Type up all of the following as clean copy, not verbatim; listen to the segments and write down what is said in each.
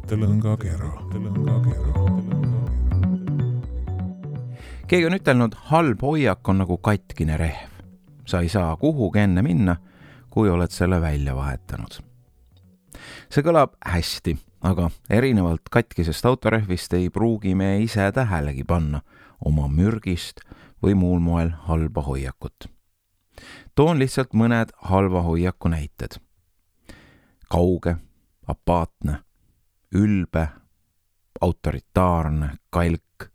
mõttelõngakera. Keegi on ütelnud, halb hoiak on nagu katkine rehv. Sa ei saa kuhugi enne minna, kui oled selle välja vahetanud. See kõlab hästi, aga erinevalt katkisest autorehvist ei pruugi me ise tähelegi panna oma mürgist või muul moel halba hoiakut. Toon lihtsalt mõned halva hoiaku näited. Kauge, apaatne, ülbe, autoritaarne, kalk,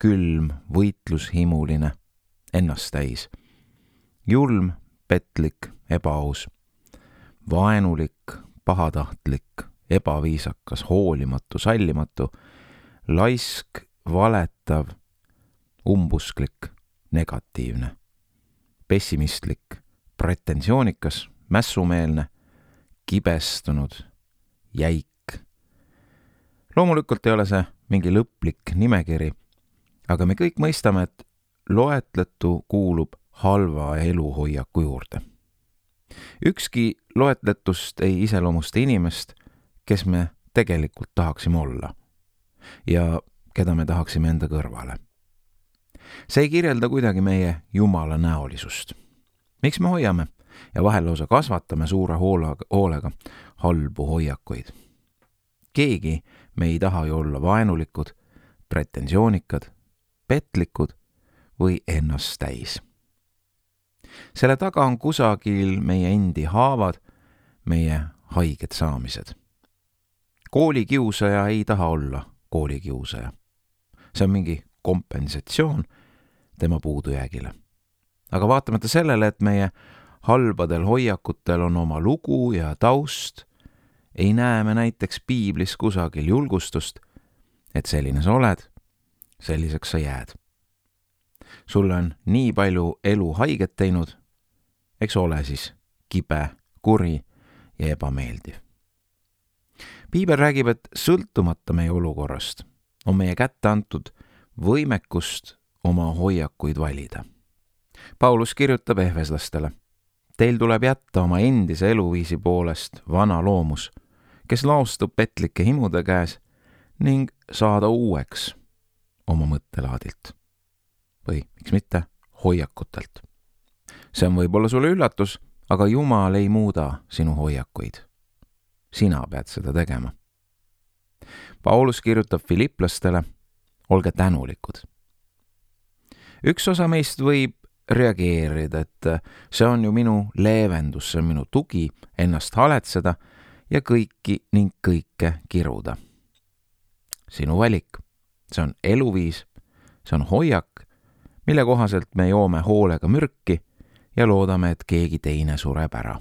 külm, võitlushimuline, ennast täis, julm, petlik, ebaaus, vaenulik, pahatahtlik, ebaviisakas, hoolimatu, sallimatu, laisk, valetav, umbusklik, negatiivne, pessimistlik, pretensioonikas, mässumeelne, kibestunud, jäik. Loomulikult ei ole see mingi lõplik nimekiri, aga me kõik mõistame, et loetletu kuulub halva eluhoiaku juurde. Ükski loetletust ei iseloomusta inimest, kes me tegelikult tahaksime olla ja keda me tahaksime enda kõrvale. See ei kirjelda kuidagi meie Jumala näolisust. Miks me hoiame ja vahel lausa kasvatame suure hoolega halbu hoiakuid? Keegi me ei taha ju olla vaenulikud, pretentioonikad, petlikud või ennast täis. Selle taga on kusagil meie endi haavad, meie haiged saamised. Koolikiusaja ei taha olla koolikiusaja. See on mingi kompensatsioon tema puudujäägile. Aga vaatamata sellele, et meie halbadel hoiakutel on oma lugu ja taust, ei näe me näiteks piiblis kusagil julgustust, et selline sa oled, selliseks sa jääd. Sulle on nii palju elu haiget teinud, eks ole siis kibe, kuri ja ebameeldiv. Piibel räägib, et sõltumata meie olukorrast on meie kätte antud võimekust oma hoiakuid valida. Paulus kirjutab ehveslastele, teil tuleb jätta oma endise eluviisi poolest vana loomus, kes laostub petlike himude käes ning saada uueks oma mõttelaadilt. Või miks mitte hoiakutelt. See on võib-olla sulle üllatus, aga Jumal ei muuda sinu hoiakuid. Sina pead seda tegema. Paulus kirjutab Filipplastele, olge tänulikud. Üks osa meist võib reageerida, et see on ju minu leevendus, see on minu tugi ennast haletseda ja kõiki ning kõike kiruda. Sinu valik, see on eluviis, see on hoiak, mille kohaselt me joome hoolega mürki ja loodame, et keegi teine sureb ära.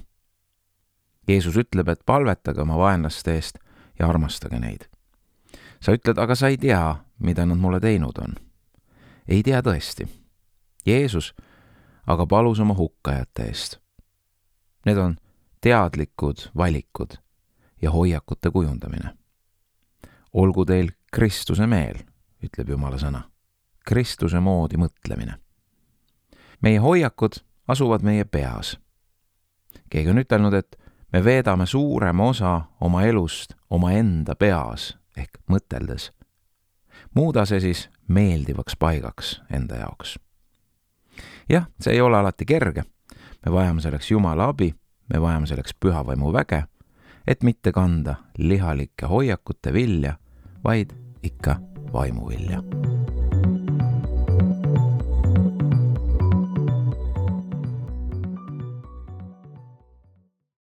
Jeesus ütleb, et palvetage oma vaenlaste eest ja armastage neid. Sa ütled, aga sa ei tea, mida nad mulle teinud on. Ei tea tõesti. Jeesus aga palus oma hukkajate eest. Need on teadlikud valikud ja hoiakute kujundamine. Olgu teil Kristuse meel, ütleb Jumala sõna. Kristuse moodi mõtlemine. Meie hoiakud asuvad meie peas. Keegi on ütelnud, et me veedame suurema osa oma elust oma enda peas ehk mõteldes. Muuda see siis meeldivaks paigaks enda jaoks. Jah, see ei ole alati kerge. Me vajame selleks Jumala abi, me vajame selleks püha vaimu väge, et mitte kanda lihalike hoiakute vilja, vaid ikka vaimu vilja.